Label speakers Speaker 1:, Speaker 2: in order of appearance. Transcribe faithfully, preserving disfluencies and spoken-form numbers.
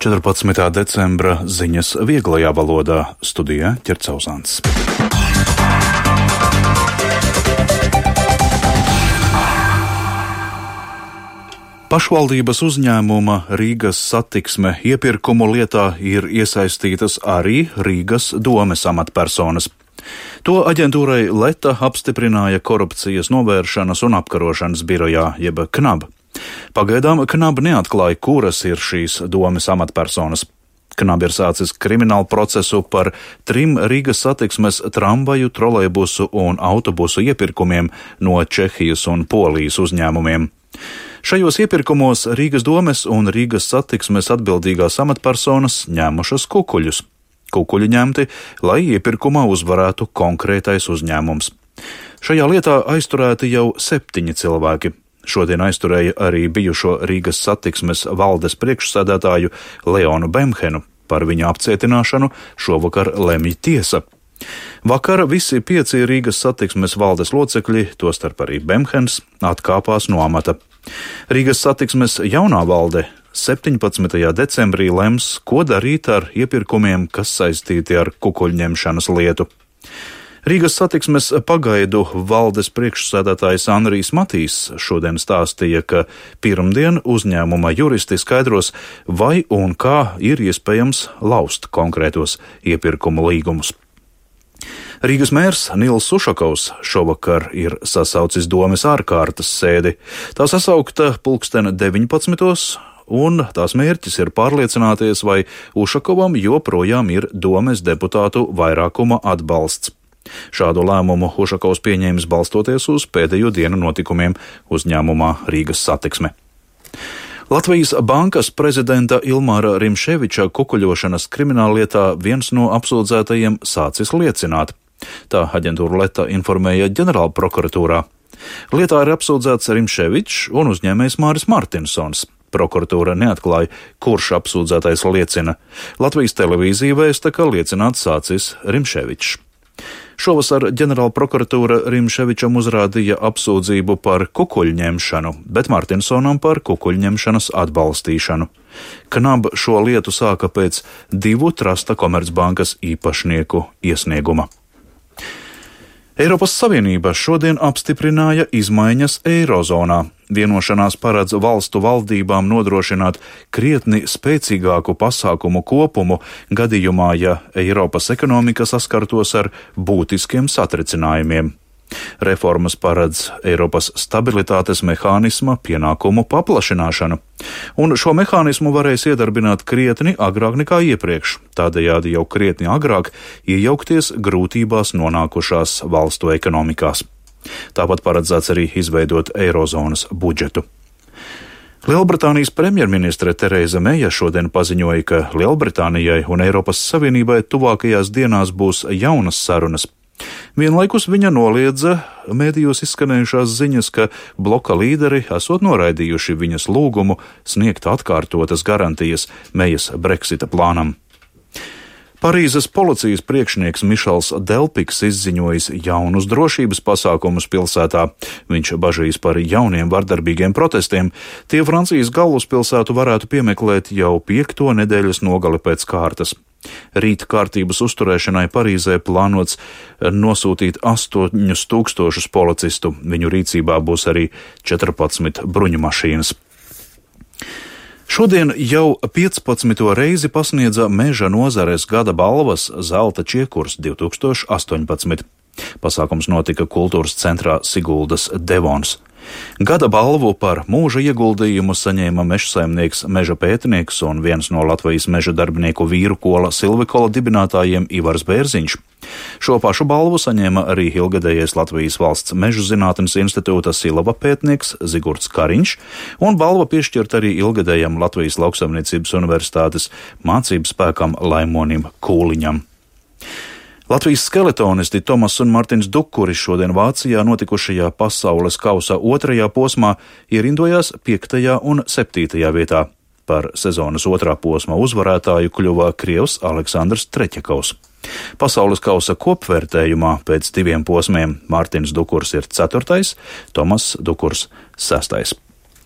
Speaker 1: četrpadsmitā decembra ziņas vieglajā valodā, studijā Ķercauzāns. Pašvaldības uzņēmuma Rīgas Satiksme iepirkumu lietā ir iesaistītas arī Rīgas domes amatpersonas. To aģentūrai Leta apstiprināja Korupcijas novēršanas un apkarošanas birojā, jeb KNAB. Pagaidām KNAB neatklāja, kuras ir šīs domes amatpersonas. KNAB ir sācis kriminālu procesu par trim Rīgas Satiksmes tramvaju, trolejbusu un autobusu iepirkumiem no Čehijas un Polijas uzņēmumiem. Šajos iepirkumos Rīgas domes un Rīgas Satiksmes atbildīgās amatpersonas ņēmušas kukuļus. Kukuļi ņemti, lai iepirkumā uzvarētu konkrētais uzņēmums. Šajā lietā aizturēti jau septiņi cilvēki. Šodien aizturēja arī bijušo Rīgas Satiksmes valdes priekšsēdētāju Leonu Bemhenu. Par viņa apcietināšanu šovakar lemj tiesa. Vakar visi pieci Rīgas Satiksmes valdes locekļi, tostarp arī Bemhens, atkāpās no amata. Rīgas Satiksmes jaunā valde septiņpadsmitajā decembrī lems, ko darīt ar iepirkumiem, kas saistīti ar kukuļņemšanas lietu. Rīgas Satiksmes pagaidu valdes priekšsēdētājs Anrijs Matīs šodien stāstīja, ka pirmdien uzņēmuma juristi skaidros, vai un kā ir iespējams laust konkrētos iepirkumu līgumus. Rīgas mērs Nils Ušakovs šovakar ir sasaucis domes ārkārtas sēdi. Tā sasaukta pulksten deviņpadsmitos, un tās mērķis ir pārliecināties, vai Ušakovam joprojām ir domes deputātu vairākuma atbalsts. Šādu lēmumu Ušakovs pieņēmis balstoties uz pēdējo dienu notikumiem uzņēmumā Rīgas Satiksme. Latvijas bankas prezidenta Ilmāra Rimševiča kukuļošanas krimināllietā viens no apsūdzētajiem sācis liecināt. Tā aģentūra Leta informēja ģenerālprokuratūrā. Lietā ir apsūdzēts Rimševičs un uzņēmējs Māris Martinsons. Prokuratūra neatklāja, kurš apsūdzētais liecina. Latvijas televīzija vēsta, ka liecināt sācis Rimševičs. Šovasar ģenerālprokuratūra Rimševičam uzrādīja apsūdzību par kukuļņemšanu, bet Martinsonam par kukuļņemšanas atbalstīšanu. KNAB šo lietu sāka pēc divu Trasta Komercbankas īpašnieku iesnieguma. Eiropas Savienība šodien apstiprināja izmaiņas Eirozonā. Vienošanās paredz valstu valdībām nodrošināt krietni spēcīgāku pasākumu kopumu gadījumā, ja Eiropas ekonomika saskartos ar būtiskiem satricinājumiem. Reformas paredz Eiropas stabilitātes mehānisma pienākumu paplašināšanu, un šo mehānismu varēs iedarbināt krietni agrāk nekā iepriekš, tādējādi jau krietni agrāk iejaukties grūtībās nonākušās valstu ekonomikās. Tāpat paredzēts arī izveidot Eirozonas budžetu. Lielbritānijas premjerministre Tereza Meja šodien paziņoja, ka Lielbritānijai un Eiropas Savienībai tuvākajās dienās būs jaunas sarunas. Vienlaikus viņa noliedza mēdījos izskanējušās ziņas, ka bloka līderi esot noraidījuši viņas lūgumu sniegt atkārtotas garantijas Mejas Brexita plānam. Parīzes policijas priekšnieks Mišels Delpiks izziņojis jaunus drošības pasākumus pilsētā. Viņš bažīs par jauniem vardarbīgiem protestiem. Tie Francijas galvaspilsētu varētu piemeklēt jau piekto nedēļas nogali pēc kārtas. Rīta kārtības uzturēšanai Parīzē plānots nosūtīt astoņus tūkstošus policistu. Viņu rīcībā būs arī četrpadsmit bruņumašīnas. Šodien jau piecpadsmito reizi pasniedza Meža nozares gada balvas Zelta čiekurs divi tūkstoši astoņpadsmit. Pasākums notika kultūras centrā Siguldas Devons. Gada balvu par mūža ieguldījumu saņēma mežsaimnieks, meža pētnieks un viens no Latvijas meža darbinieku vīru kola Silvikola dibinātājiem Ivars Bērziņš. Šo pašu balvu saņēma arī ilgadējais Latvijas valsts mežu zinātnes institūta Silava pētnieks Zigurds Kariņš, un balva piešķirt arī ilgadējam Latvijas lauksaimniecības universitātes mācību spēkam Laimonim Kūliņam. Latvijas skeletonisti Tomas un Martins Dukuri šodien Vācijā notikušajā pasaules kausa otrajā posmā ierindojās piektajā un septītajā vietā. Par sezonas otrā posma uzvarētāju kļuva Krievs Aleksandrs Treķakovs. Pasaules kausa kopvērtējumā pēc diviem posmiem Mārtiņš Dukurs ir ceturtais, Tomas Dukurs sestais.